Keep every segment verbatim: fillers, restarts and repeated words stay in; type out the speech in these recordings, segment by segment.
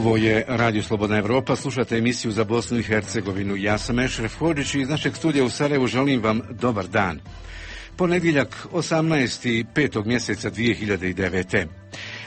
Ovo je Radio Slobodna Evropa, slušate emisiju za Bosnu i Hercegovinu. Ja sam Ešref Hodžić i iz našeg studija u Sarajevu želim vam dobar dan. Ponedjeljak osamnaestog petog mjeseca dvije hiljade devete.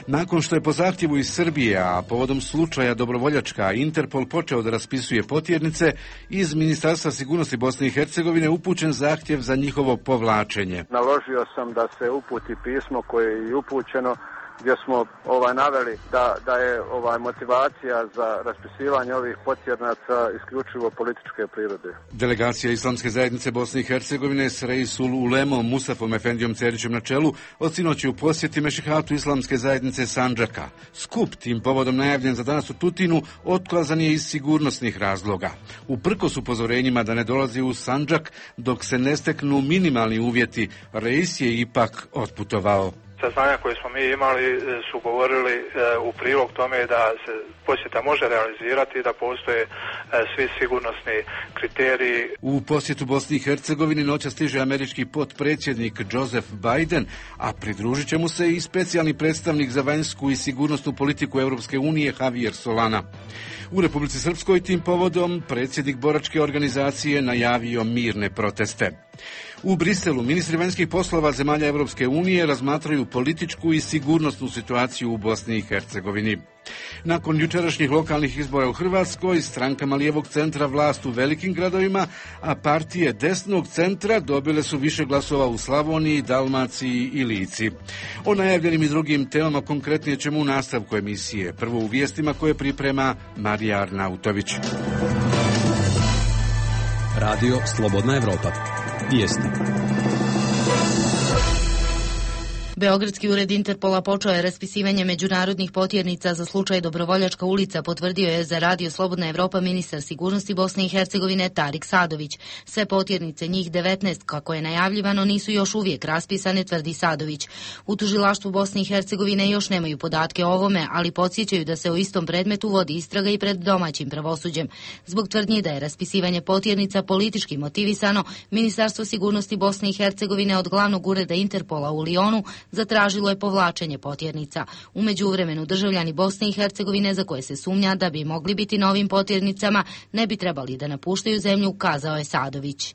Nakon što je po zahtjevu iz Srbije, a povodom slučaja Dobrovoljačka, Interpol počeo da raspisuje potjernice, iz Ministarstva sigurnosti Bosne i Hercegovine upućen zahtjev za njihovo povlačenje. Naložio sam da se uputi pismo koje je i upućeno, gdje smo ovaj naveli da, da je ovaj motivacija za raspisivanje ovih potjernaca isključivo političke prirode. Delegacija Islamske zajednice Bosne i Hercegovine s Reisul Ulemom Mustafom Efendijom Cerićem na čelu od sinoći u posjeti Mešihatu Islamske zajednice Sandžaka. Skup tim povodom najavljen za danas u Tutinu otkazan je iz sigurnosnih razloga. Uprkos upozorenjima da ne dolazi u Sandžak dok se ne steknu minimalni uvjeti, Reis je ipak otputovao. Saznanja koje smo mi imali su govorili e, u prilog tome da se posjeta može realizirati i da postoje e, svi sigurnosni kriteriji. U posjetu Bosni i Hercegovini noća stiže američki potpredsjednik Joseph Biden, a pridružit će mu se i specijalni predstavnik za vanjsku i sigurnosnu politiku Europske unije Javier Solana. U Republici Srpskoj tim povodom predsjednik boračke organizacije najavio mirne proteste. U Briselu ministri vanjskih poslova zemalja Europske unije razmatraju političku i sigurnosnu situaciju u Bosni i Hercegovini. Nakon jučerašnjih lokalnih izbora u Hrvatskoj, strankama lijevog centra vlast u velikim gradovima, a partije desnog centra dobile su više glasova u Slavoniji, Dalmaciji i Lici. O najavljenim i drugim temama konkretnije ćemo u nastavku emisije. Prvo u vijestima koje priprema Marija Arnautović. Radio Slobodna Evropa. Vijesti. Beogradski ured Interpola počeo je raspisivanje međunarodnih potjernica za slučaj Dobrovoljačka ulica, potvrdio je za Radio Slobodna Evropa ministar sigurnosti Bosne i Hercegovine Tarik Sadović. Sve potjernice, njih devetnaest, kako je najavljivano, nisu još uvijek raspisane, tvrdi Sadović. U tužilaštvu Bosne i Hercegovine još nemaju podatke o ovome, ali podsjećaju da se o istom predmetu vodi istraga i pred domaćim pravosuđem. Zbog tvrdnji da je raspisivanje potjernica politički motivisano, Ministarstvo sigurnosti Bosne i Hercegovine od glavnog ureda Interpola u Lionu zatražilo je povlačenje potjernica. U međuvremenu državljani Bosne i Hercegovine za koje se sumnja da bi mogli biti novim potjernicama ne bi trebali da napuštaju zemlju, kazao je Sadović.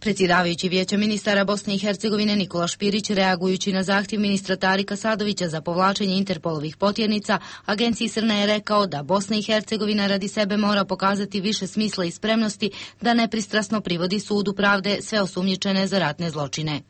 Predsjedavajući Vijeća ministara Bosne i Hercegovine Nikola Špirić, reagujući na zahtjev ministra Tarika Sadovića za povlačenje Interpolovih potjernica, agenciji Srna je rekao da Bosna i Hercegovina radi sebe mora pokazati više smisla i spremnosti da nepristrasno privodi sudu pravde sve osumnjičene za ratne zločine.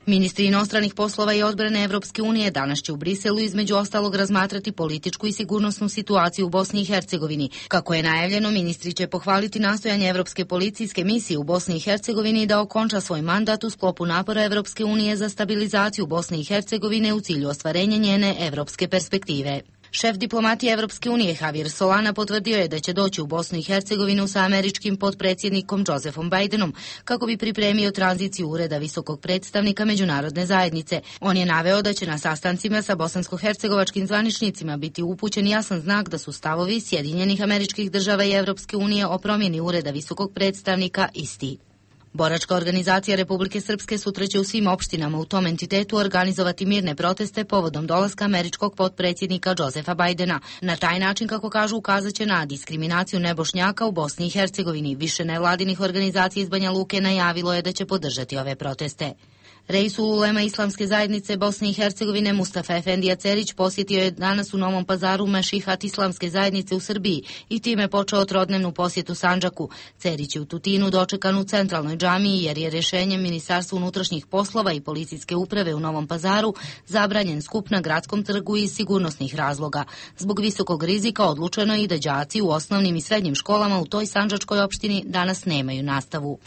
Ministri inostranih poslova i odbrane Evropske unije danas će u Briselu između ostalog razmatrati političku i sigurnosnu situaciju u Bosni i Hercegovini. Kako je najavljeno, ministri će pohvaliti nastojanje Evropske policijske misije u Bosni i Hercegovini da okonča svoj mandat u sklopu napora Evropske unije za stabilizaciju Bosne i Hercegovine u cilju ostvarenja njene evropske perspektive. Šef diplomatije Evropske unije Javier Solana potvrdio je da će doći u Bosnu i Hercegovinu sa američkim potpredsjednikom Josephom Bidenom kako bi pripremio tranziciju ureda visokog predstavnika međunarodne zajednice. On je naveo da će na sastancima sa bosansko-hercegovačkim zvaničnicima biti upućen jasan znak da su stavovi Sjedinjenih Američkih Država i Evropske unije o promjeni ureda visokog predstavnika isti. Boračka organizacija Republike Srpske sutra će u svim opštinama u tom entitetu organizovati mirne proteste povodom dolaska američkog potpredsjednika Josefa Bidena. Na taj način, kako kažu, ukazat će na diskriminaciju nebošnjaka u Bosni i Hercegovini. Više nevladinih organizacija iz Banja Luke najavilo je da će podržati ove proteste. Reisul Ulema Islamske zajednice Bosne i Hercegovine Mustafa Efendija Cerić posjetio je danas u Novom Pazaru Mešihat Islamske zajednice u Srbiji i time počeo trodnevnu posjetu Sandžaku. Cerić je u Tutinu dočekan u centralnoj džamiji jer je rješenjem Ministarstva unutrašnjih poslova i policijske uprave u Novom Pazaru zabranjen skup na gradskom trgu iz sigurnosnih razloga. Zbog visokog rizika odlučeno je i da đaci u osnovnim i srednjim školama u toj sandžačkoj opštini danas nemaju nastavu.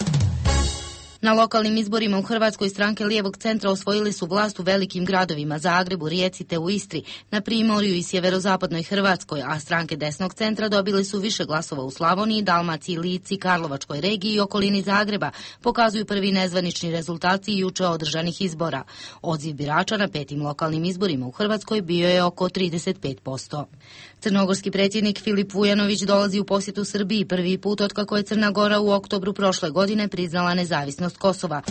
Na lokalnim izborima u Hrvatskoj stranke lijevog centra osvojili su vlast u velikim gradovima Zagrebu, Rijeci te u Istri, na Primorju i sjeverozapadnoj Hrvatskoj, a stranke desnog centra dobili su više glasova u Slavoniji, Dalmaciji, Lici, Karlovačkoj regiji i okolini Zagreba, pokazuju prvi nezvanični rezultati juče održanih izbora. Odziv birača na petim lokalnim izborima u Hrvatskoj bio je oko trideset pet posto. Crnogorski predsjednik Filip Vujanović dolazi u posjetu Srbiji prvi put otkako je Crna Gora u oktobru prošle godine priznala nezavisnost Kosova.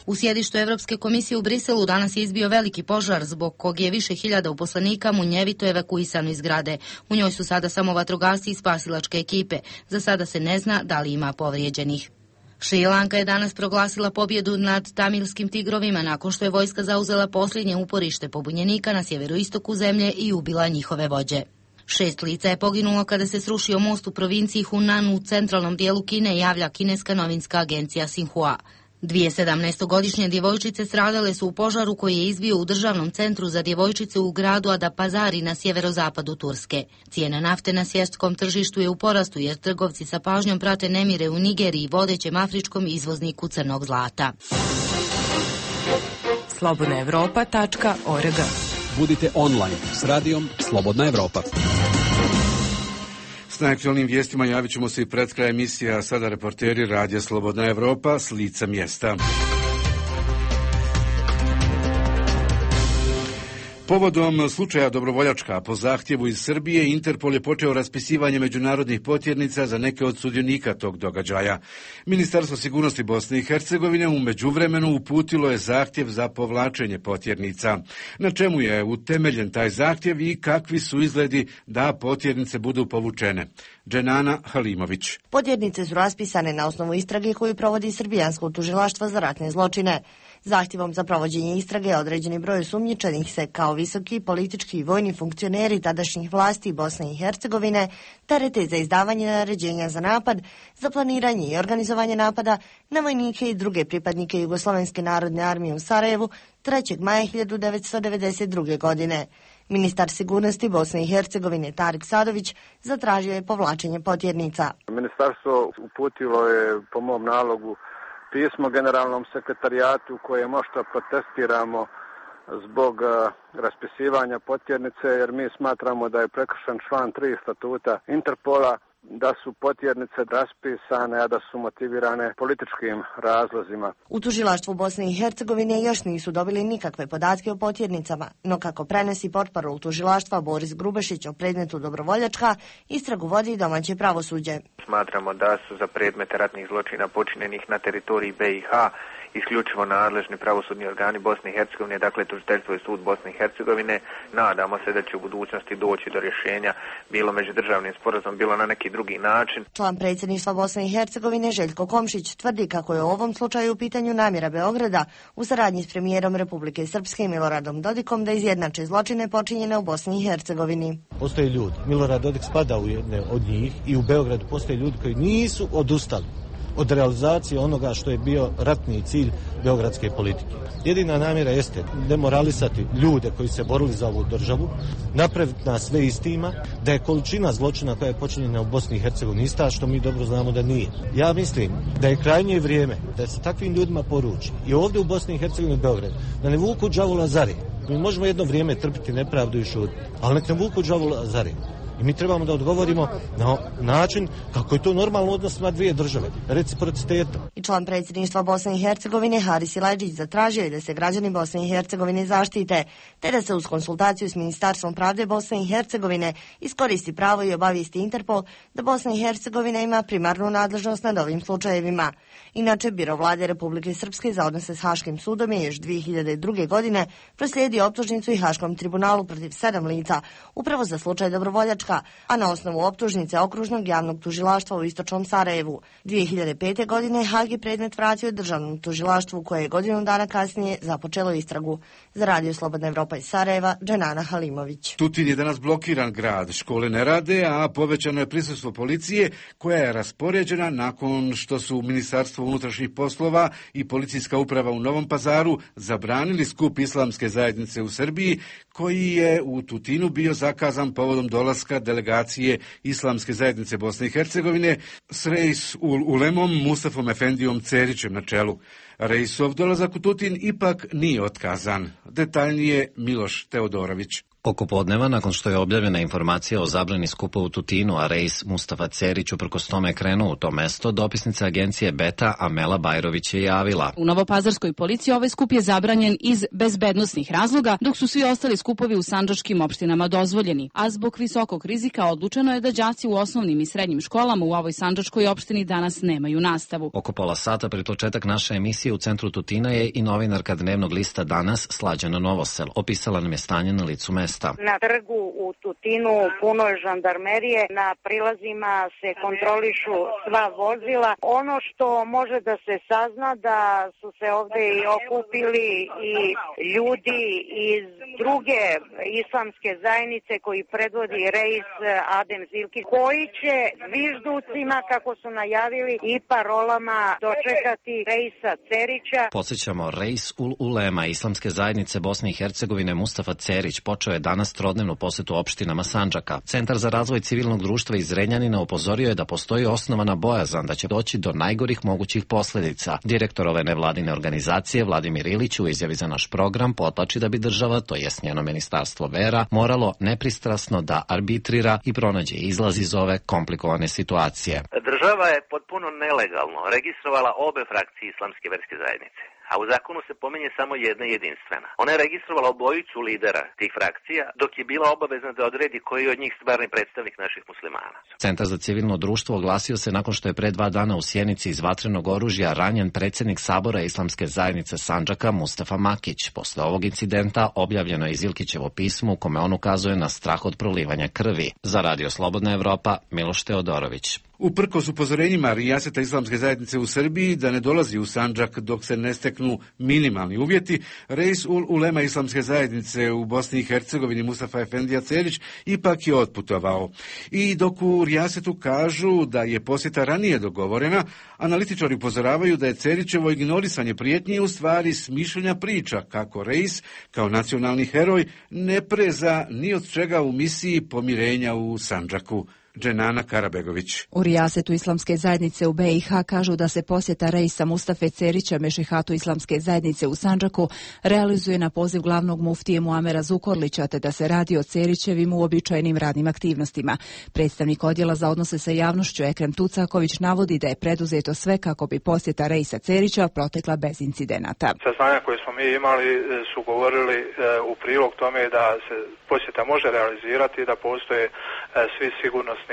U sjedištu Evropske komisije u Briselu danas je izbio veliki požar zbog kog je više hiljada uposlenika munjevito evakuisano iz zgrade. U njoj su sada samo vatrogasci i spasilačke ekipe. Za sada se ne zna da li ima povrijeđenih. Šri Lanka je danas proglasila pobjedu nad tamilskim tigrovima nakon što je vojska zauzela posljednje uporište pobunjenika na sjeveroistoku zemlje i ubila njihove vođe. Šest lica je poginulo kada se srušio most u provinciji Hunan u centralnom dijelu Kine, javlja kineska novinska agencija Xinhua. Dvije sedamnaestogodišnje djevojčice stradale su u požaru koji je izbio u državnom centru za djevojčice u gradu Adapazari na sjeverozapadu Turske. Cijena nafte na svjetskom tržištu je u porastu jer trgovci sa pažnjom prate nemire u Nigeriji, vodećem afričkom izvozniku crnog zlata. slobodna evropa tačka org. Budite online s radijom Slobodna Evropa. S najaktualnim vijestima javit ćemo se i pred kraj emisija, sada reporteri Radija Slobodna Evropa s lica mjesta. Povodom slučaja Dobrovoljačka po zahtjevu iz Srbije, Interpol je počeo raspisivanje međunarodnih potjernica za neke od sudionika tog događaja. Ministarstvo sigurnosti Bosne i Hercegovine u međuvremenu uputilo je zahtjev za povlačenje potjernica. Na čemu je utemeljen taj zahtjev i kakvi su izgledi da potjernice budu povučene? Dženana Halimović. Potjernice su raspisane na osnovu istrage koju provodi Srbijansko tužilaštvo za ratne zločine. Zahtjevom za provođenje istrage određeni broj osumnjičenih se kao visoki politički i vojni funkcioneri tadašnjih vlasti Bosne i Hercegovine terete za izdavanje naređenja za napad, za planiranje i organizovanje napada na vojnike i druge pripadnike Jugoslovenske narodne armije u Sarajevu trećeg maja hiljadu devetsto devedeset druge. godine. Ministar sigurnosti Bosne i Hercegovine Tarik Sadović zatražio je povlačenje potjernica. Ministarstvo uputilo je po mom nalogu pismo generalnom sekretarijatu koje možda protestiramo zbog uh, raspisivanja potjernice, jer mi smatramo da je prekršen član tri statuta Interpola, da su potjernice raspisane, a da su motivirane političkim razlozima. U tužilaštvu Bosne i Hercegovine još nisu dobili nikakve podatke o potjernicama, no kako prenosi portparol tužilaštva Boris Grubešić o predmetu Dobrovoljačka, istragu vodi domaće pravosuđe. Smatramo da su za predmete ratnih zločina počinjenih na teritoriji B i H isključivo nadležni pravosudni organi Bosne i Hercegovine, dakle tužiteljstvo i sud Bosne i Hercegovine. Nadamo se da će u budućnosti doći do rješenja, bilo međudržavnim sporazumom, bilo na neki drugi način. Član predsjedništva Bosne i Hercegovine Željko Komšić tvrdi kako je u ovom slučaju u pitanju namjera Beograda u saradnji s premijerom Republike Srpske Miloradom Dodikom da izjednače zločine počinjene u Bosni i Hercegovini. Postoje ljudi, Milorad Dodik spada u jedne od njih i u Beogradu postoje ljudi koji nisu odustali od realizacije onoga što je bio ratni cilj beogradske politike. Jedina namjera jeste demoralisati ljude koji se borili za ovu državu, napraviti nas sve istima, da je količina zločina koja je počinjena u Bosni i Hercegovini ista, što mi dobro znamo da nije. Ja mislim da je krajnje vrijeme da se takvim ljudima poruči i ovdje u Bosni i Hercegovini i Beogradu da ne vuku đavola zare. Mi možemo jedno vrijeme trpiti nepravdu i šutiti, ali nek ne vuku đavola zare. I mi trebamo da odgovorimo na način kako je to normalno odnos na dvije države, reciprocitetom. I član predsjedništva Bosne i Hercegovine Haris Silajdžić zatražio je da se građani Bosne i Hercegovine zaštite, te da se uz konsultaciju s Ministarstvom pravde Bosne i Hercegovine iskoristi pravo i obavijesti Interpol da Bosna i Hercegovina ima primarnu nadležnost nad ovim slučajevima. Inače, Biro vlade Republike Srpske za odnose s Haškim sudom je još dvije hiljade druge. godine proslijedio optužnicu i Haškom tribunalu protiv sedam lica, upravo za slučaj Dobrovoljačka, a na osnovu optužnice Okružnog javnog tužilaštva u Istočnom Sarajevu. dvije hiljade pete. godine Hag je predmet vratio državnom tužilaštvu koje je godinu dana kasnije započelo istragu. Za Radio Slobodna Evropa iz Sarajeva, Dženana Halimović. Tutin je danas blokiran grad, škole ne rade, a povećano je prisustvo policije koja je raspoređena nakon što su Ministarstvo unutrašnjih poslova i policijska uprava u Novom Pazaru zabranili skup islamske zajednice u Srbiji koji je u Tutinu bio zakazan povodom dolaska delegacije Islamske zajednice Bosne i Hercegovine s Reis Ulemom Mustafom Efendijom Cerićem na čelu. Reisov dolazak u Tutin ipak nije otkazan. Detaljnije Miloš Teodorović. Oko podneva, nakon što je objavljena informacija o zabrani skupa u Tutinu, a rejs Mustafa Cerić uprkos tome krenuo u to mesto, dopisnica agencije Beta Amela Bajrović je javila. U Novopazarskoj policiji ovaj skup je zabranjen iz bezbednosnih razloga, dok su svi ostali skupovi u sandžačkim opštinama dozvoljeni. A zbog visokog rizika odlučeno je da đaci u osnovnim i srednjim školama u ovoj sandžačkoj opštini danas nemaju nastavu. Oko pola sata pred početak naše emisije u centru Tutina je i novinarka dnevnog lista Danas Slađana Novosel. Opisala nam je stanje na licu mesta. Na trgu u Tutinu puno je žandarmerije, na prilazima se kontrolišu sva vozila. Ono što može da se sazna da su se ovde i okupili i ljudi iz druge islamske zajednice koji predvodi rejs Adem Zilkić, koji će zvižducima, kako su najavili, i parolama dočekati rejsa Cerića. Podsjećamo, rejs Ul Ulema islamske zajednice Bosne i Hercegovine Mustafa Cerić počeo je danas trodnevnu posetu opštinama Sandžaka. Centar za razvoj civilnog društva iz Zrenjanina upozorio je da postoji osnovana bojazan da će doći do najgorih mogućih posledica. Direktor ove nevladine organizacije Vladimir Ilić u izjavi za naš program potlači da bi država, to jest njeno ministarstvo vera, moralo nepristrasno da arbitrira i pronađe izlaz iz ove komplikovane situacije. Država je potpuno nelegalno registrovala obe frakcije islamske verske zajednice, a u zakonu se pominje samo jedna jedinstvena. Ona je registrovala obojicu lidera tih frakcija, dok je bila obavezna da odredi koji je od njih stvarni predstavnik naših muslimana. Centar za civilno društvo oglasio se nakon što je pre dva dana u Sjenici iz vatrenog oružja ranjen predsjednik Sabora islamske zajednice Sandžaka Mustafa Makić. Posle ovog incidenta objavljeno je Zilkićevo pismo u kome on ukazuje na strah od prolivanja krvi. Za Radio Slobodna Evropa, Miloš Teodorović. Uprkos upozorenjima rijaseta islamske zajednice u Srbiji da ne dolazi u Sandžak dok se ne steknu minimalni uvjeti, rejs Ul Ulema islamske zajednice u Bosni i Hercegovini Mustafa Efendija Cerić ipak je otputovao. I dok u rijasetu kažu da je posjeta ranije dogovorena, analitičari upozoravaju da je Cerićevo ignorisanje prijetnji u stvari smišljena priča kako rejs kao nacionalni heroj ne preza ni od čega u misiji pomirenja u Sandžaku. Dženana Karabegović. U rijasetu islamske zajednice u be i ha kažu da se posjeta rejsa Mustafe Cerića mešihatu islamske zajednice u Sandžaku realizuje na poziv glavnog muftije Muamera Zukorlića, te da se radi o Cerićevim uobičajenim radnim aktivnostima. Predstavnik odjela za odnose sa javnošću Ekrem Tucaković navodi da je preduzeto sve kako bi posjeta rejsa Cerića protekla bez incidenata. Saznanja koje smo mi imali su govorili u prilog tome da se posjeta može realizirati, da postoje svi sigurnosni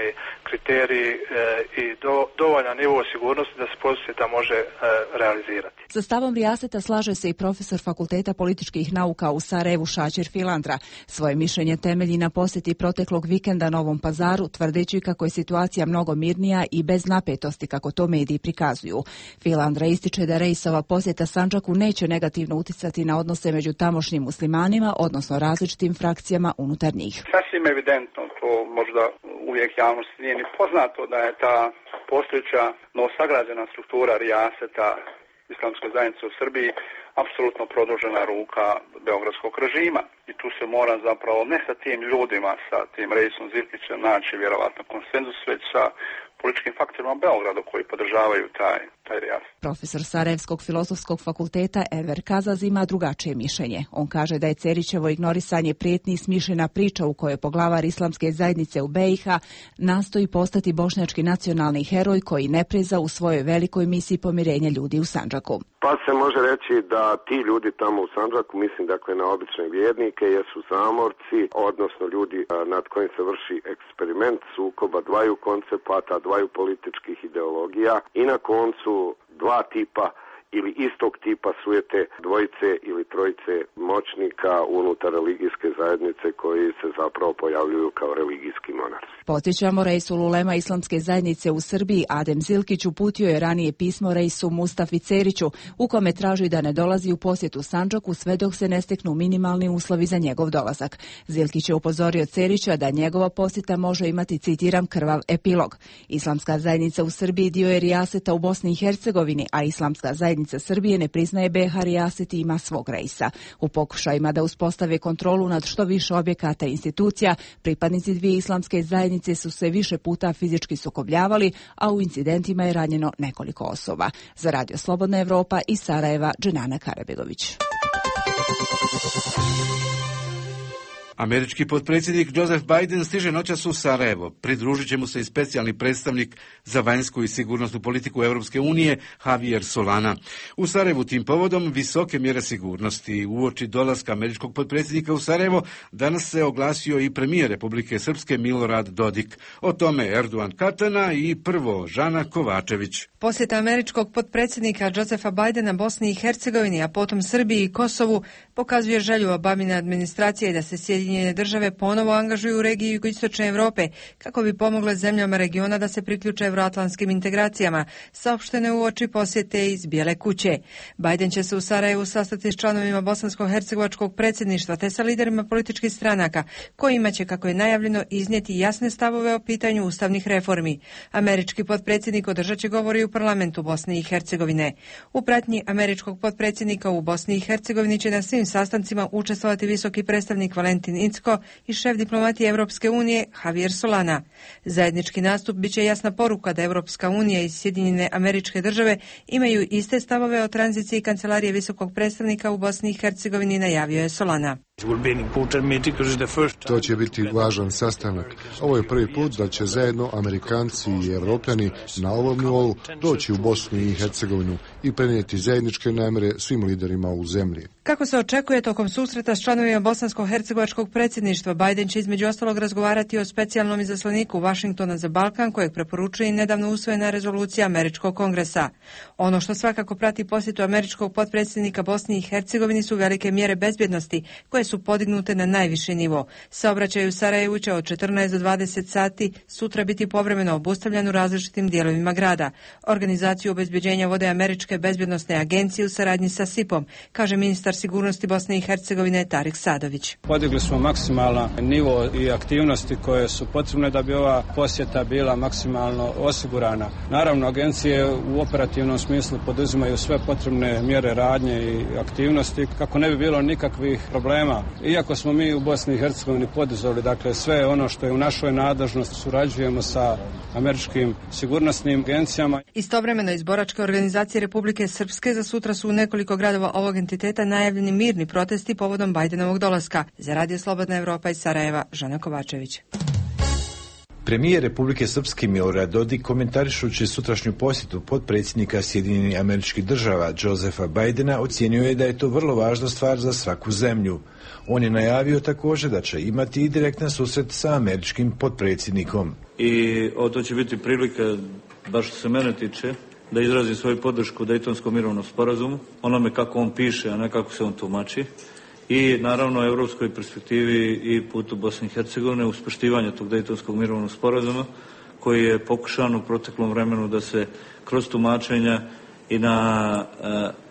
kriteriji e, i do, dovoljan nivo sigurnosti da se posjeta može e, realizirati. Sa stavom rijaseta slaže se i profesor Fakulteta političkih nauka u Sarajevu Šačer Filandra. Svoje mišljenje temelji na posjeti proteklog vikenda Novom Pazaru, tvrdeći kako je situacija mnogo mirnija i bez napetosti kako to mediji prikazuju. Filandra ističe da rejsova posjeta Sandžaku neće negativno uticati na odnose među tamošnjim muslimanima, odnosno različitim frakcijama unutar njih. Sasvim evidentno, to možda uvijek javnosti nije ni poznato, da je ta postojeća novosagrađena struktura rijaseta islamske zajednice u Srbiji apsolutno produžena ruka beogradskog režima. I tu se mora zapravo ne sa tim ljudima, sa tim rejsom Zilkićem naći vjerovatno konsenzus, već sa političkim faktorima u Beogradu koji podržavaju taj, taj rijas. Profesor Sarajevskog filozofskog fakulteta Enver Kazaz ima drugačije mišljenje. On kaže da je Cerićevo ignorisanje prijetnji i smišljena priča u kojoj poglavar islamske zajednice u be i ha nastoji postati bošnjački nacionalni heroj koji ne preza u svojoj velikoj misiji pomirenja ljudi u Sandžaku. Pa se može reći da ti ljudi tamo u Sandžaku, mislim dakle na obične vjernike, jesu zamorci, odnosno ljudi nad kojim se vrši eksperiment sukoba dvaju koncepata, dvaju političkih ideologija i na koncu dva tipa ili istog tipa sujete dvojice ili trojice moćnika unutar religijske zajednice koji se zapravo pojavljuju kao religijski monarsi. Podsjećamo, rejs Ul Ulema islamske zajednice u Srbiji Adem Zilkić uputio je ranije pismo rejsu Mustafi Ceriću u kome traži da ne dolazi u posjetu Sandžaku sve dok se ne steknu minimalni uslovi za njegov dolazak. Zilkić je upozorio Cerića da njegova posjeta može imati, citiram, krvav epilog. Islamska zajednica u Srbiji dio je rijaseta u Bosni i Hercegovini, a islamska zajednica Srbije ne priznaje be ha rijaset i ima svog rejsa. U pokušajima da uspostave kontrolu nad što više objekata i institucija, pripadnici dvije islamske zajednice su se više puta fizički sukobljavali, a u incidentima je ranjeno nekoliko osoba. Za Radio Slobodna Evropa iz Sarajeva, Dženana Karabegović. Američki potpredsjednik Joseph Biden stiže noćas u Sarajevo. Pridružit će mu se i specijalni predstavnik za vanjsku i sigurnosnu politiku Europske unije Javier Solana. U Sarajevu tim povodom visoke mjere sigurnosti. Uoči dolaska američkog potpredsjednika u Sarajevo danas se oglasio i premijer Republike Srpske Milorad Dodik. O tome Erdogan Katana i prvo Žana Kovačević. Posjeta američkog potpredsjednika Josepha Bidena Bosni i Hercegovini, a potom Srbiji i Kosovu pokazuje želju Obamine administracije da se Sjedinjene države ponovo angažuju u regiji jugoistočne Evrope kako bi pomogle zemljama regiona da se priključe evroatlantskim integracijama, saopštene u oči posjete iz Bijele kuće. Biden će se u Sarajevu sastati s članovima bosansko-hercegovačkog predsjedništva te sa liderima političkih stranaka, kojima će, kako je najavljeno, iznijeti jasne stavove o pitanju ustavnih reformi. Američki potpredsjednik održat će govori u parlamentu Bosne i Hercegovine. U pratnji američkog potpredsjednika u Bosni i Hercegovini će na svim sastancima učestvovati visoki predstavnik Valentin Incko i šef diplomatije Europske unije Javier Solana. Zajednički nastup biće jasna poruka da Europska unija i Sjedinjene Američke Države imaju iste stavove o tranziciji kancelarije visokog predstavnika u Bosni i Hercegovini, najavio je Solana. To će biti važan sastanak. Ovo je prvi put da će zajedno Amerikanci i Evropljani na ovom nivou doći u Bosnu i Hercegovinu i prenijeti zajedničke namjere svim liderima u zemlji. Kako se očekuje tokom susreta s članovima bosansko-hercegovačkog predsjedništva, Biden će između ostalog razgovarati o specijalnom izaslaniku Vašingtona za Balkan, kojeg preporučuje i nedavno usvojena rezolucija Američkog kongresa. Ono što svakako prati posjetu američkog potpredsjednika Bosni i Hercegovini su velike mjere bezbjednosti, koje su podignute na najviši nivo. Saobraćaj u Sarajevu će od četrnaest do dvadeset sati sutra biti povremeno obustavljan u različitim dijelovima grada. Organizaciju obezbeđenja vode Američke bezbjednosne agencije u saradnji sa S I P-om, kaže ministar sigurnosti Bosne i Hercegovine Tarik Sadović. Podigli smo maksimalan nivo i aktivnosti koje su potrebne da bi ova posjeta bila maksimalno osigurana. Naravno, agencije u operativnom smislu poduzimaju sve potrebne mjere radnje i aktivnosti kako ne bi bilo nikakvih problema. Iako smo mi u Bosni i Hercegovini poduzeli, dakle, sve ono što je u našoj nadležnosti, surađujemo sa američkim sigurnosnim agencijama. Istovremeno iz boračke organizacije Republike Srpske za sutra su u nekoliko gradova ovog entiteta najavljeni mirni protesti povodom Bajdenovog dolaska. Za Radio Slobodna Evropa iz Sarajeva, Žana Kovačević. Premijer Republike Srpske Milorad Dodik, komentarišući sutrašnju posjetu potpredsjednika Sjedinjenih Američkih Država Josefa Bidena, ocijenio je da je to vrlo važna stvar za svaku zemlju. On je najavio također da će imati i direktan susret sa američkim potpredsjednikom. I o, to će biti prilika, baš što se mene tiče, da izrazim svoju podršku Dejtonskom mirovnom sporazumu, onome kako on piše, a ne kako se on tumači. I naravno europskoj perspektivi i putu Bosne i Hercegovine uz poštivanje tog Dejtonskog mirovnog sporazuma koji je pokušan u proteklom vremenu da se kroz tumačenja i na uh,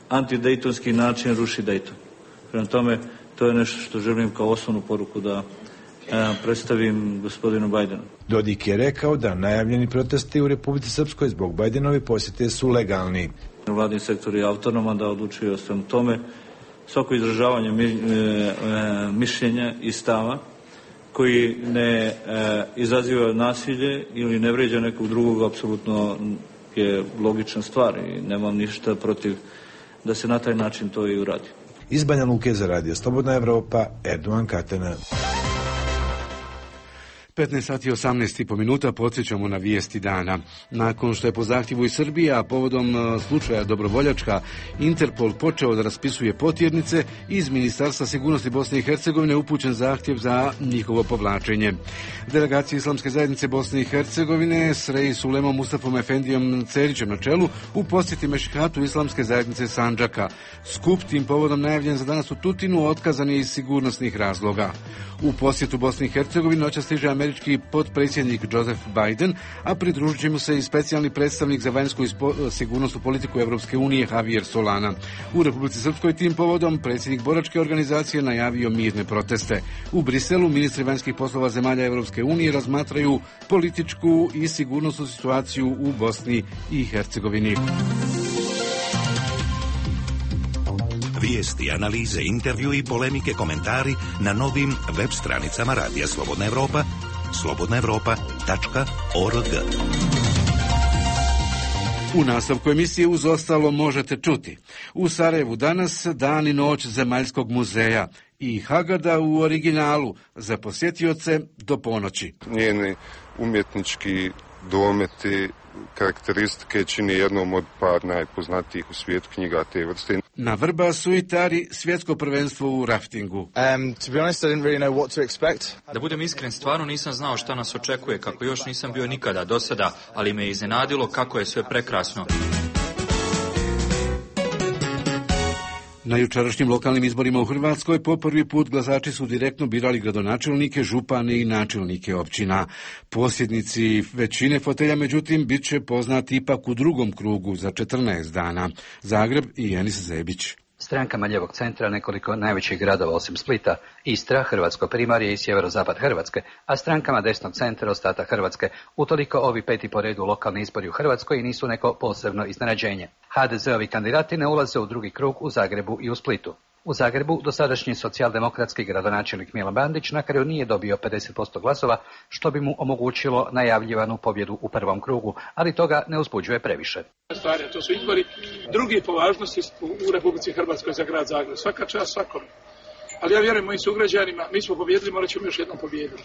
antidejtonski način ruši Dejton. Prema tome, to je nešto što želim kao osnovnu poruku da uh, predstavim gospodinu Bidenu. Dodik je rekao da najavljeni protesti u Republici Srpskoj zbog Bidenove posjete su legalni. Vladin sektor je autonoman da odlučuje o svem tome. Svako izražavanje mi, e, e, mišljenja i stava koji ne e, izaziva nasilje ili ne vređa nekog drugog, apsolutno je logična stvar i nemam ništa protiv da se na taj način to i uradi. Iz Banja Luke za Radio Slobodna Evropa, Erdogan Katana. petnaest sati i osamnaest i po minuta podsjećamo na vijesti dana. Nakon što je po zahtjevu iz Srbije, a povodom slučaja Dobrovoljačka, Interpol počeo da raspisuje potjernice, iz Ministarstva sigurnosti Bosne i Hercegovine upućen zahtjev za njihovo povlačenje. Delegacija Islamske zajednice Bosne i Hercegovine s Rej Sulemom Mustafom Efendijom Cerićem na čelu u posjeti Mešihatu Islamske zajednice Sandžaka. Skup tim povodom najavljen za danas u Tutinu otkazan je iz sigurnosnih razloga. U posjetu Bosni i Hercegovini noćas stiže američki potpredsjednik Joseph Biden, a pridružit će mu se i specijalni predstavnik za vanjsku i sigurnosnu politiku Europske unije Javier Solana. U Republici Srpskoj tim povodom predsjednik boračke organizacije najavio mirne proteste. U Briselu ministri vanjskih poslova zemalja Europske unije razmatraju političku i sigurnosnu situaciju u Bosni i Hercegovini. Vijesti, analize, intervju i polemike, komentari na novim web stranicama Radija Slobodna Evropa, slobodna evropa tačka org. U nastavku emisije uz ostalo možete čuti. U Sarajevu danas dan i noć Zemaljskog muzeja. i Hagada u originalu za posjetioce do ponoći. Njeni umjetnički dometi karakteristike čini jednom od par najpoznatijih u svijetu knjiga te vrste. Na Vrbasu i Tari svjetsko prvenstvo u raftingu. Um, to be honest, I didn't really know what to expect. Da budem iskren, stvarno nisam znao šta nas očekuje, kako još nisam bio nikada do sada, ali me je iznenadilo kako je sve prekrasno. Na jučerašnjim lokalnim izborima u Hrvatskoj po prvi put glasači su direktno birali gradonačelnike, župane i načelnike općina. Posjednici većine fotelja, međutim, bit će poznati ipak u drugom krugu za četrnaest dana. Zagreb i Enis Zebić. Strankama ljevog centra nekoliko najvećih gradova osim Splita, Istra, Hrvatsko primorje i sjeverozapad Hrvatske, a strankama desnog centra ostatak Hrvatske. Utoliko ovi peti po redu lokalni izbori u Hrvatskoj nisu neko posebno iznenađenje. ha de ze ovi kandidati ne ulaze u drugi krug u Zagrebu i u Splitu. U Zagrebu dosadašnji socijaldemokratski gradonačelnik Milan Bandić na kraju nije dobio pedeset posto glasova, što bi mu omogućilo najavljivanu pobjedu u prvom krugu, ali toga ne uzbuđuje previše. Stvari, to su izbori drugi po važnosti u Republici Hrvatskoj za grad Zagreb. Svaka čast svakom. Ali ja vjerujem mojim sugrađanima, mi smo pobjedili, morat ćemo još jednom pobijediti.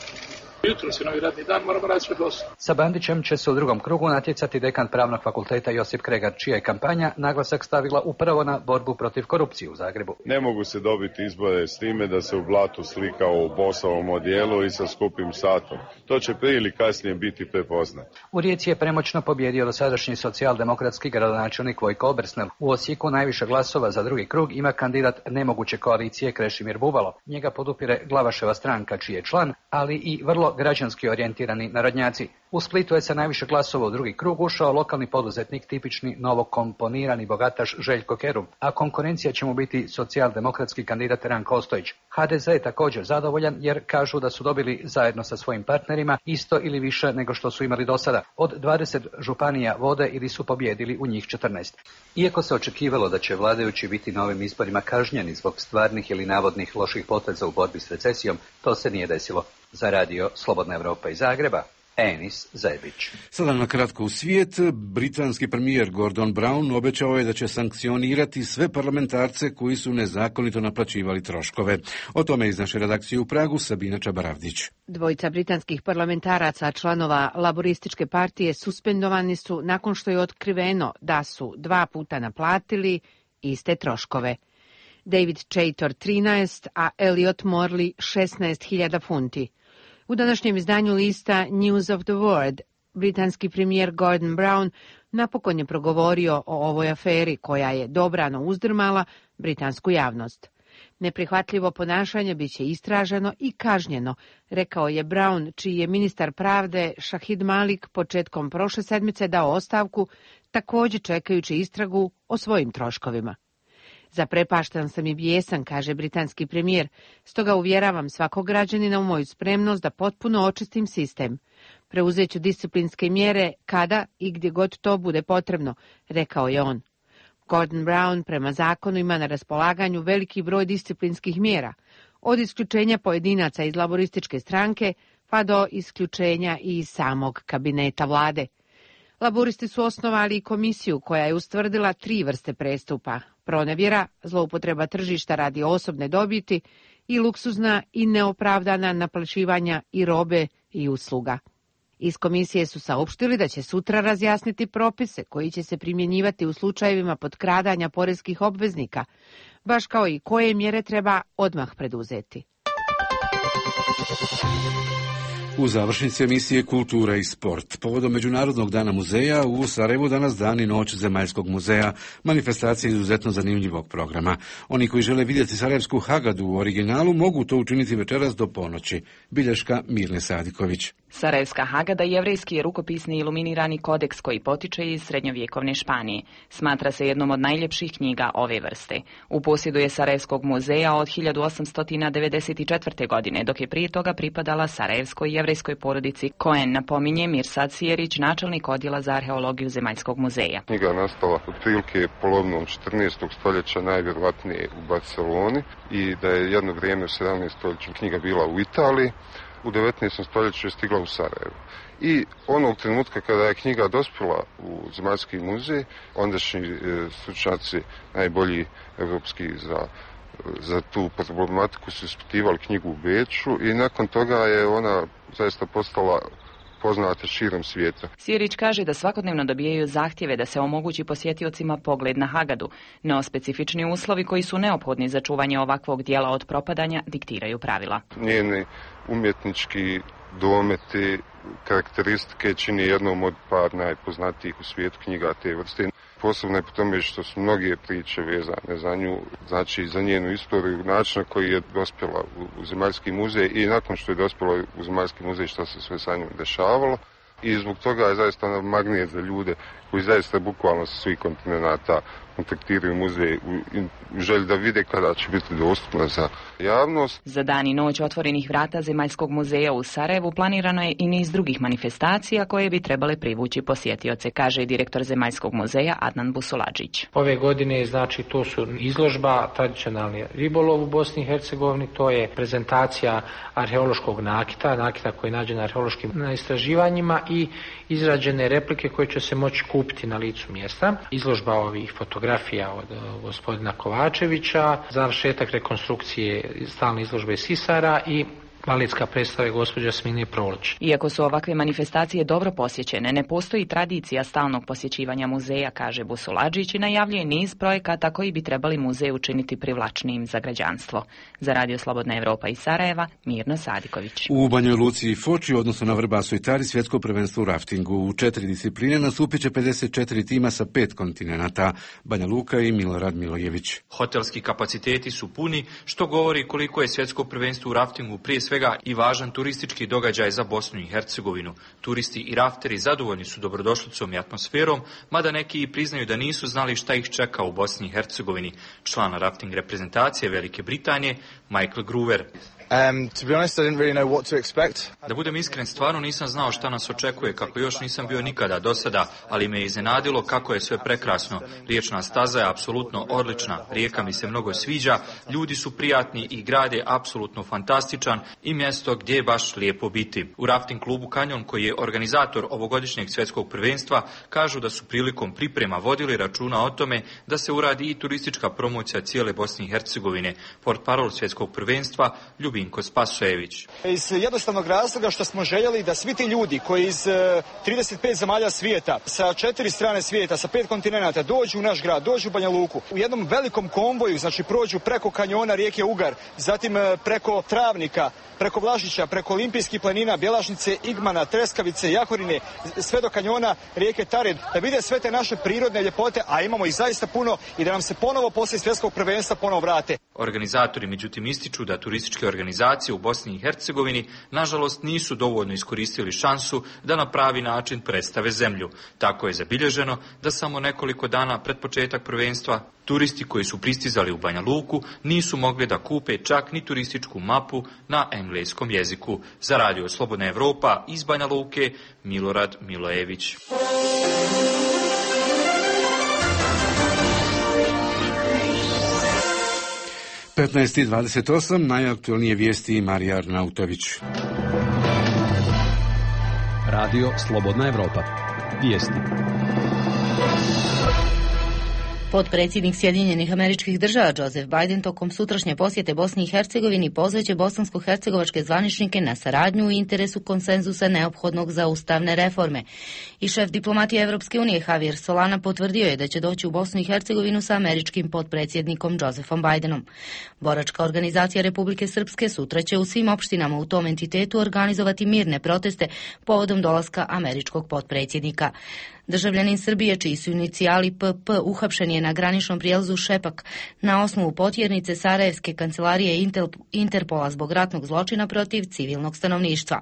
Jutro se novi radni dan, moramo raditi sve posle. Sa Bandićem će se u drugom krugu natjecati dekan Pravnog fakulteta Josip Kregar, čija je kampanja naglasak stavila upravo na borbu protiv korupcije u Zagrebu. Ne mogu se dobiti izbore s time da se u blatu slikao u bosovom odijelu i sa skupim satom. To će prije ili kasnije biti prepoznat. U Rijeci je premoćno pobjedio dosadašnji socijaldemokratski gradonačelnik Vojko Obersnel. U Osijeku najviše glasova za drugi krug ima kandidat nemoguće koalicije Krešimir Bubalo. Njega podupire Glavaševa stranka, čiji je član, ali i vrlo građanski orijentirani narodnjaci. U Splitu je sa najviše glasova u drugi krug ušao lokalni poduzetnik, tipični novokomponirani bogataš Željko Kerum, a konkurencija će mu biti socijaldemokratski kandidat Ranko Ostojić. ha de ze je također zadovoljan jer kažu da su dobili zajedno sa svojim partnerima isto ili više nego što su imali do sada. Od dvadeset županija vode ili su pobjedili u njih četrnaest. Iako se očekivalo da će vladajući biti na ovim izborima kažnjeni zbog stvarnih ili navodnih loših poteza u borbi s recesijom, to se nije desilo. Za radio Slobodna Evropa iz Zagreba, Enis Zebić. Sada na kratko u svijet. Britanski premijer Gordon Brown obećao je da će sankcionirati sve parlamentarce koji su nezakonito naplaćivali troškove. O tome iz naše redakcije u Pragu Sabina Čabaravdić. Dvojica britanskih parlamentaraca, članova Laborističke partije, suspendovani su nakon što je otkriveno da su dva puta naplatili iste troškove. David Chaytor trinaest, a Elliot Morley šesnaest hiljada funti. U današnjem izdanju lista News of the World, britanski premijer Gordon Brown napokon je progovorio o ovoj aferi koja je dobrano uzdrmala britansku javnost. Neprihvatljivo ponašanje bit će istraženo i kažnjeno, rekao je Brown, čiji je ministar pravde Shahid Malik početkom prošle sedmice dao ostavku, također čekajući istragu o svojim troškovima. Zaprepašten sam i bijesan, kaže britanski premijer, stoga uvjeravam svakog građanina u moju spremnost da potpuno očistim sistem. Preuzet ću disciplinske mjere kada i gdje god to bude potrebno, rekao je on. Gordon Brown prema zakonu ima na raspolaganju veliki broj disciplinskih mjera, od isključenja pojedinaca iz laborističke stranke pa do isključenja i samog kabineta vlade. Laboristi su osnovali i komisiju koja je ustvrdila tri vrste prestupa: pronevjera, zloupotreba tržišta radi osobne dobiti i luksuzna i neopravdana naplaćivanja i robe i usluga. Iz komisije su saopštili da će sutra razjasniti propise koji će se primjenjivati u slučajevima potkradanja poreskih obveznika, baš kao i koje mjere treba odmah preduzeti. U završnici emisije Kultura i sport. Povodom Međunarodnog dana muzeja u Sarajevu danas dan i noć Zemaljskog muzeja, manifestacija izuzetno zanimljivog programa. Oni koji žele vidjeti Sarajevsku Hagadu u originalu mogu to učiniti večeras do ponoći. Bilješka Mirne Sadiković. Sarajevska Hagada jevrejski je rukopisni iluminirani kodeks koji potiče iz srednjovjekovne Španije. Smatra se jednom od najljepših knjiga ove vrste. U posjedu je Sarajevskog muzeja od hiljadu osamsto devedeset četvrte. godine, dok je prije toga pripadala sarajevskoj jevrejskoj porodici Cohen, napominje Mirsad Sijerić, načelnik odjela za arheologiju Zemaljskog muzeja. Knjiga je nastala otprilike polovinom četrnaestog stoljeća, najvjerojatnije u Barceloni, i da je jedno vrijeme u sedamnaestom stoljeću knjiga bila u Italiji. U devetnaestom stoljeću je stigla u Sarajevo. I onog trenutka kada je knjiga dospjela u Zemaljski muzej, ondašnji e, stručnjaci najbolji evropski za za tu problematiku su ispitivali knjigu u Beču i nakon toga je ona zaista postala poznate širom svijeta. Sjerić kaže da svakodnevno dobijaju zahtjeve da se omogući posjetiocima pogled na Hagadu, no specifični uslovi koji su neophodni za čuvanje ovakvog dijela od propadanja diktiraju pravila. Njeni umjetnički dometi, karakteristike čini jednom od par najpoznatijih u svijetu knjiga te vrste. Posebno je po tome što su mnoge priče vezane za nju, znači za njenu istoriju, način na koji je dospjela u, u Zemaljski muzej i nakon što je dospjela u Zemaljski muzej što se sve sa njom dešavalo. I zbog toga je zaista ona magnet za ljude koji zaista bukvalno sa svih kontinenata kontaktiraju muzej u, u želji da vide kada će biti dostupna za javnost. Za dan i noć otvorenih vrata Zemaljskog muzeja u Sarajevu planirano je i niz drugih manifestacija koje bi trebale privući posjetioce, kaže direktor Zemaljskog muzeja Adnan Busuladžić. Ove godine znači to su izložba tradicionalni ribolov u Bosni i Hercegovini, to je prezentacija arheološkog nakita, nakita koji je nađen na arheološkim istraživanjima i izrađene replike koje će se moći kupiti na licu mjesta. Izložba ovih fotografija od gospodina Kovačevića, završetak rekonstrukcije stalne izložbe Sisara i baletska predstava gospođa Smine Prolić. Iako su ovakve manifestacije dobro posjećene, ne postoji tradicija stalnog posjećivanja muzeja, kaže Busuladžić i najavljuje niz projekata koji bi trebali muzej učiniti privlačnijim za građanstvo. Za Radio Slobodna Evropa iz Sarajeva, Mirno Sadiković. U Banjoj Luci i Foči, odnosno na Vrbasu i Tari, svjetsko prvenstvo u raftingu. U četiri discipline nastupit će pedeset četiri tima sa pet kontinenata. Banja Luka i Milorad Milojević. Hotelski kapaciteti su puni, što govori koliko je svjetsko prvenstvo u raftingu prije svega i važan turistički događaj za Bosnu i Hercegovinu. Turisti i rafteri zadovoljni su dobrodošlicom i atmosferom, mada neki i priznaju da nisu znali šta ih čeka u Bosni i Hercegovini. Član rafting reprezentacije Velike Britanije, Michael Groover. Um, to be honest, I didn't really know what to expect. Da budem iskren, stvarno nisam znao šta nas očekuje, kako još nisam bio nikada do sada, ali me je iznenadilo kako je sve prekrasno. Riječna staza je apsolutno odlična, rijeka mi se mnogo sviđa, ljudi su prijatni i grad je apsolutno fantastičan i mjesto gdje je baš lijepo biti. U rafting klubu Kanjon, koji je organizator ovogodišnjeg svjetskog prvenstva, kažu da su prilikom priprema vodili računa o tome da se uradi i turistička promocija cijele Bosne i Hercegovine. Portparol svjetskog prvenstva Ljubinko Spasojević. Iz jednostavnog razloga što smo željeli da svi ti ljudi koji iz trideset pet zemalja svijeta, sa četiri strane svijeta, sa pet kontinenata dođu u naš grad, dođu u Banja Luku, u jednom velikom konvoju, znači prođu preko kanjona rijeke Ugar, zatim preko Travnika, preko Vlažića, preko Olimpijskih planina, Bjelašnice, Igmana, Treskavice, Jahorine, sve do kanjona rijeke Tare, da vide sve te naše prirodne ljepote, a imamo ih zaista puno, i da nam se ponovo poslije svjetskog prvenstva ponovo vrate. Organizatori međutim ističu da turističke organizacije u Bosni i Hercegovini nažalost nisu dovoljno iskoristili šansu da na pravi način predstave zemlju. Tako je zabilježeno da samo nekoliko dana pred početak prvenstva turisti koji su pristizali u Banja Luku nisu mogli da kupe čak ni turističku mapu na engleskom jeziku. Za Radio Slobodna Evropa iz Banja Luke, Milorad Milojević. petnaest i dvadeset osam, najaktualnije vijesti Marija Arnautović. Radio Slobodna Evropa. Vijesti. Potpredsjednik Sjedinjenih Američkih Država Joseph Biden tokom sutrašnje posjete Bosni i Hercegovini pozvaće bosansko-hercegovačke zvaničnike na saradnju u interesu konsenzusa neophodnog za ustavne reforme. I šef diplomatije Evropske unije Javier Solana potvrdio je da će doći u Bosnu i Hercegovinu sa američkim potpredsjednikom Josephom Bidenom. Boračka organizacija Republike Srpske sutra će u svim opštinama u tom entitetu organizovati mirne proteste povodom dolaska američkog potpredsjednika. Državljanin Srbije, čiji su inicijali P P, uhapšen je na graničnom prijelazu Šepak na osnovu potjernice Sarajevske kancelarije Interpola zbog ratnog zločina protiv civilnog stanovništva.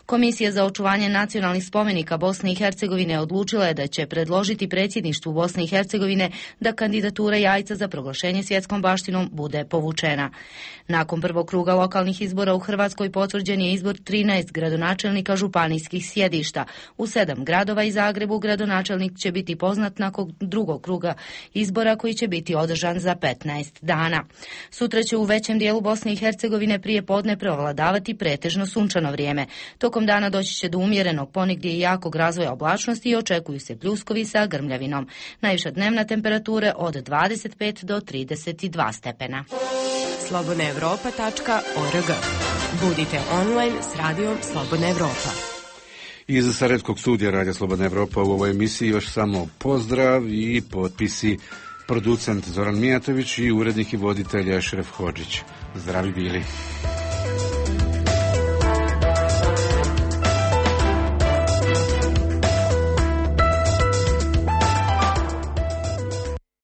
Komisija za očuvanje nacionalnih spomenika Bosne i Hercegovine odlučila je da će predložiti predsjedništvu Bosne i Hercegovine da kandidatura Jajca za proglašenje svjetskom baštinom bude povučena. Nakon prvog kruga lokalnih izbora u Hrvatskoj potvrđen je izbor trinaest gradonačelnika županijskih sjedišta. U sedam gradova i Zagrebu gradonačelnika gradonačelnik će biti poznat nakon drugog kruga izbora koji će biti održan za petnaest dana. Sutra će u većem dijelu Bosne i Hercegovine prije podne prevladavati pretežno sunčano vrijeme. Tokom dana doći će do umjerenog, ponegdje i jakog razvoja oblačnosti i očekuju se pljuskovi sa grmljavinom. Najviša dnevna temperatura od dvadeset pet do trideset dva stepena. slobodna evropa tačka org. Budite online s radijom Slobodna Evropa. Iz Sarajevskog studija Radija Slobodna Evropa u ovoj emisiji još samo pozdrav i potpisi producent Zoran Mijatović i urednik i voditelj Ešref Hodžić. Zdravi bili.